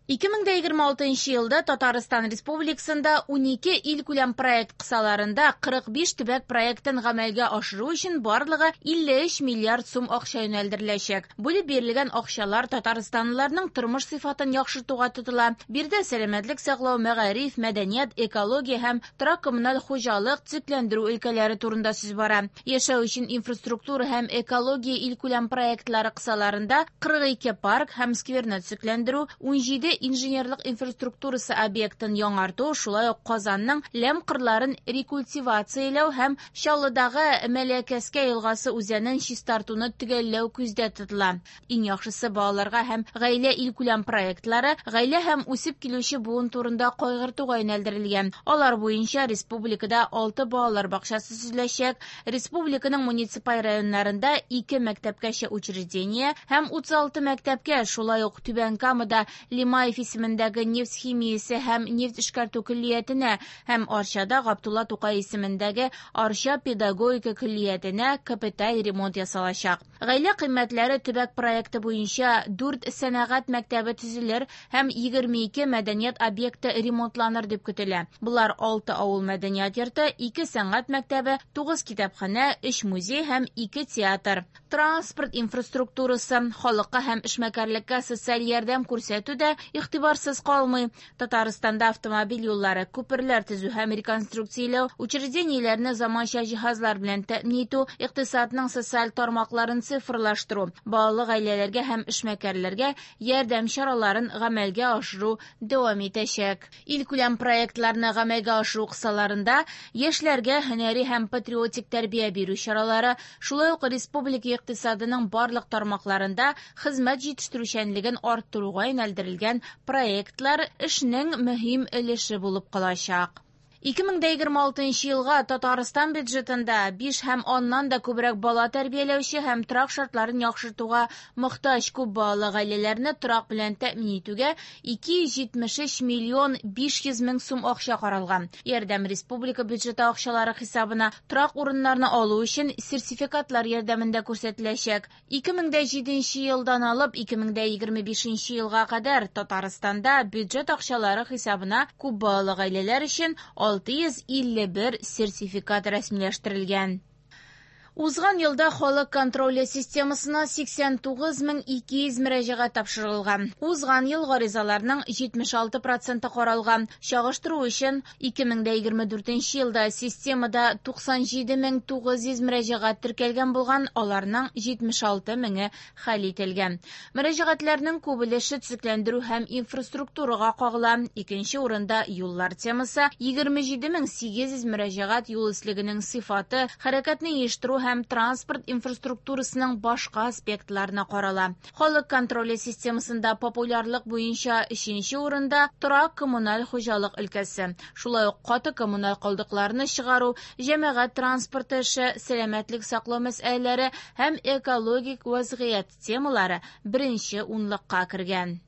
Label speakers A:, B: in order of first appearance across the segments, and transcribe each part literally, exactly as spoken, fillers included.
A: ике мең дә егерме алтынчы елда Татарстан Республикасында унике илкүләм проект кысаларында кырык биш төбәк проектын гамәлгә ашыру өчен барлыгы илле өч миллиард сум акча юнәлдереләчәк. Бүлеп бирелгән акчалар татарстанлыларның тормыш сыйфатын яхшыртуга тотыла. Биредә сәламәтлек саклау, мәгариф, мәдәният, экология һәм торак-коммуналь хуҗалык, төзекләндерү өлкәләре турында сүз бара. Яшәү өчен инфраструктура һәм экология илкүләм проектлары кысаларында кырык ике парк һәм скверны төзекләндерү, унҗиде инженерлык инфраструктурасы объектын яңарту, шулай ук Казанның ләм кырларын рекультивацияләү һәм Чаллыдагы Мәләкәскә елгасы үзәнен чистартуны төгәлләү күздә тотыла. Иң яхшысы балаларга һәм гаилә илкүләм проектлары гаилә һәм үсеп килүче буын турында кайгыртуга юнәлдерелгән. Алар буенча республикада алты балалар бакчасы төзеләчәк, республиканың муниципаль районнарында ике мәктәпкәчә учреждение һәм утыз алты мәктәпкә, шулай ук Түбән Камада Лимаев исемендәге нефть химиясе һәм нефть эшкәртү көллиятенә һәм Арчада Габдулла Тукай исемендәге Арча педагогика көллиятенә капиталь ремонт ясалачак. Гаилә кыйммәтләре төбәк проекты буенча дүрт сәнәгать мәктәбе төзелер һәм егерме ике мәдәният объекты ремонтланыр дип көтелә. Болар алты авыл мәдәният йорты, ике сәнгать мәктәбе, тугыз китапханә, өч музей һәм ике театр. Транспорт инфраструктурасы, халыкка һәм эшмәкәрлеккә социаль ярдәм күрсәтү дә игътибарсыз калмый. Татарстанда автомобиль юллары, күперләр төзү һәм реконструкцияләү, учреждениеләрне заманча җиһазлар белән тәэмин итү, икътисадның социаль тармакларын цифрлаштыру, балалы гаиләләргә һәм эшмәкәрләргә ярдәм чараларын гамәлгә ашыру дәвам итәчәк. Илкүләм проектларны гамәлгә ашыру кысаларында яшьләргә һөнәри һәм патриотик тәрбия бирү чаралары, шулай ук республика икътисадының барлык тармакларында хезмәт җитештерүчәнлеген арттыруга юнәлдерелгән проектлар эшнең мөһим өлеше булып калачак. Ике мең дә егерме алтынчы елга Татарстан бюджетында биш һәм аннан да күбрәк бала тәрбияләүче һәм торак шартларын яхшыртуга мохтаҗ күп балалы гаиләләрне торак белән тәэмин итүгә ике йөз җитмеш өч миллион биш йөз мең сум акча каралган. Ярдәм республика бюджеты акчалары хисабына торак урыннарны алу өчен сертификатлар ярдәмендә күрсәтеләчәк. Ике мең дә җиденче елдан алып ике мең дә егерме бишенче елга кадәр Татарстанда бюджет акчалары хисабына күп балалы гаиләләр өчен алты йөз илле бер сертификат рәсмиләштерелгән. Узган елда халык контроле системасына сиксән тугыз мең ике йөз мөрәҗәгать тапшырылган. Узган ел гаризаларның җитмеш алты проценты каралган. Чагыштыру өчен ике мең дә егерме дүртенче елда системада туксан җиде мең тугыз йөз мөрәҗәгать теркәлгән булган, аларның җитмеш алты меңе хәл ителгән. Мөрәҗәгатьләрнең күп өлеше төзекләндерү һәм инфраструктурага кагыла. Икенче урында юллар темасы, егерме җиде мең сигез йөз мөрәҗәгать юл өслегенең сыйфаты, хәрәкәтне оештыру һәм транспорт инфраструктурасының башка аспектларына карала. Халык контроле системасында популярлык буенча өченче урында торак коммуналь хуҗалык өлкәсе. Шулай ук каты коммуналь калдыкларны чыгару, җәмәгать транспорты эше, сәламәтлек саклау мәсьәләләре һәм экологик вазгыять темалары беренче унлыкка кергән.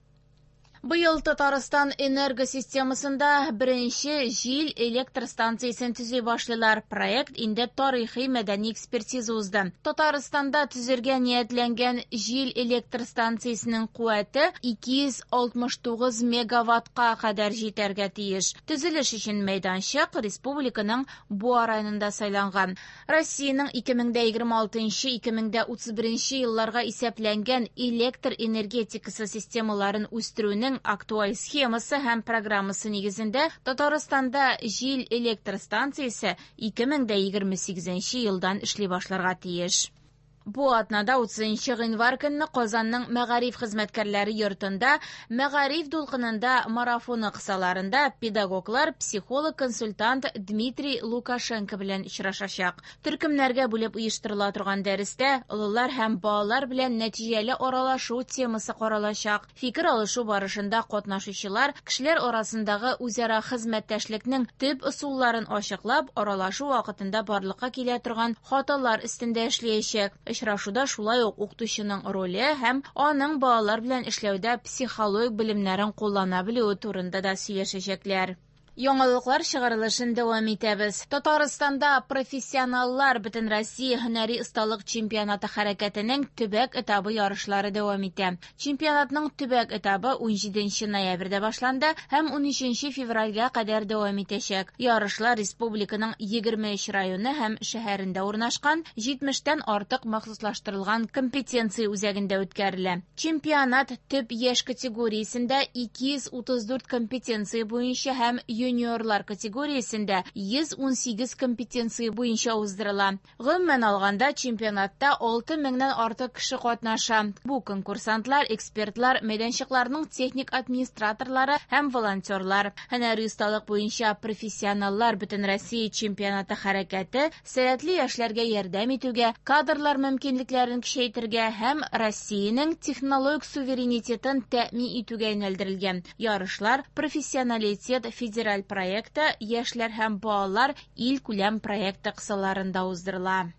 A: Быел Татарстан энергосистемасында беренче җил электр станциясен төзи башлыйлар. Проект инде тарихи мәдәни экспертиза узды. Татарстанда төзергә ниятләнгән җил электр станциясенең куәте ике йөз алтмыш тугыз мегаваттка кадәр җитәргә тиеш. Төзелеш өчен мәйданчык республиканың Буа районында сайланган. Россиянең ике мең дә егерме алтынчы, ике мең дә утыз беренче елларга исәпләнгән электр энергетикасы системаларын үстерүнең актуаль схемасы һәм программасы нигезендә Татарстанда җил электр станциясе ике мең дә егерме сигезенче елдан эшли башларга тиеш. Бу атнада утызынчы гыйнвар көнне Казанның мәгариф хезмәткәрләре йортында Мәгариф дулкынында марафоны кысаларында педагоглар психолог-консультант Дмитрий Лукашенко белән очрашачак. Төркемнәргә бүлеп оештырыла торган дәрестә олылар һәм балалар белән нәтиҗәле аралашу темасы каралачак. Фикер алышу барышында катнашучылар кешеләр арасындагы үзара хезмәттәшлекнең төп ысулларын ачыклап, аралашу вакытында барлыкка килә торган хаталар өстендә эшләячәк. Очрашуда шулай ук укытучының роле һәм аның балалар белән эшләүдә психологик белемнәрен куллана белүе турында да сөйләшәчәкләр. Яңалыклар чыгарылышын дәвам итәбез. Татарстанда профессионаллар Бөтенроссия һөнәри осталык чемпионаты хәрәкәтенең төбәк этабы ярышлары дәвам итә. Чемпионатның төбәк этабы унҗиденче ноябрьдә башланды һәм унөченче февральгә кадәр дәвам итәчәк. Ярышлар республиканың егерме өч районы һәм шәһәрендә урнашкан җитмештән артык махсуслаштырылган компетенция үзәгендә үткәрелә. Чемпионат төп яшь категориясендә ике йөз утыз дүрт компетенция буенча һәм юниорлар категориясендә йөз ун сигез компетенция буенча уздырыла. Гомумән алганда, чемпионатта алты меңнән артык кеше катнаша. Бу конкурсантлар, экспертлар, мәйданчыкларның техник администраторлары һәм волонтерлар. Һөнәри осталык буенча профессионаллар Бөтенроссия чемпионаты хәрәкәте сәләтле яшьләргә ярдәм итүгә, кадрлар мөмкинлекләрен көчәйтергә һәм Россиянең технологик суверенитетын тәэмин итүгә юнәлдерелгән. Ярышлар Профессионалитет федераль проекты Яшьләр һәм балалар илкүләм проекты кысаларында уздырыла.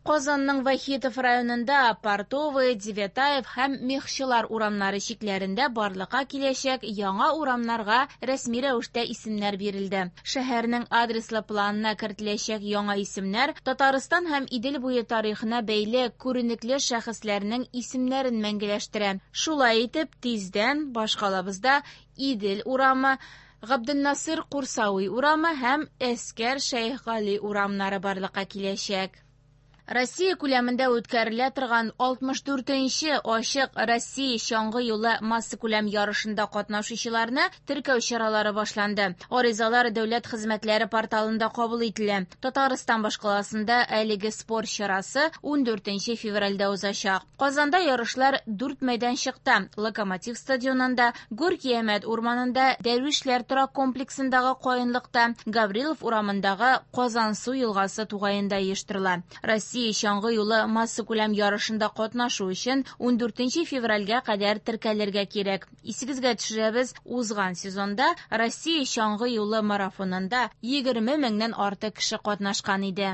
A: Казанның Вахитов районында Портовый, Девятаев һәм Мехчылар урамнары чикләрендә барлыкка киләчәк яңа урамнарга рәсми рәвештә исемнәр бирелде. Шәһәрнең адреслы планына кертеләчәк яңа исемнәр Татарстан һәм Идел буе тарихына бәйле күренекле шәхесләрнең исемнәрен мәңгеләштерә. Шулай итеп, тиздән башкалабызда Идел урамы, Габденнасыр Курсауи урамы һәм Әскәр Шәйхгали урамнары барлыкка киләчәк. Россия күләмендә үткәрелә торган алтмыш дүртенче ачык Россия чаңгы юлы массакүләм ярышында катнашучыларны теркәү чаралары башланды. Аризалар дәүләт хезмәтләре порталында кабул ителә. Татарстан башкаласында әлеге спорт чарасы ундүртенче февральдә узачак. Казанда ярышлар дүрт мәйданчыкта: Локомотив стадионында, Горький Әмәт урманында, Дәрвишләр торак комплексындагы каенлыкта, Гаврилов урамындагы Казансу елгасы тугаенда оештырыла. Россия чаңгы юлы массакүләм ярышында катнашу өчен ундүртенче февральгә кадәр теркәлергә кирәк. Исегезгә төшерәбез, узган сезонда Россия чаңгы юлы марафонында егерме меңнән артык кеше катнашкан иде.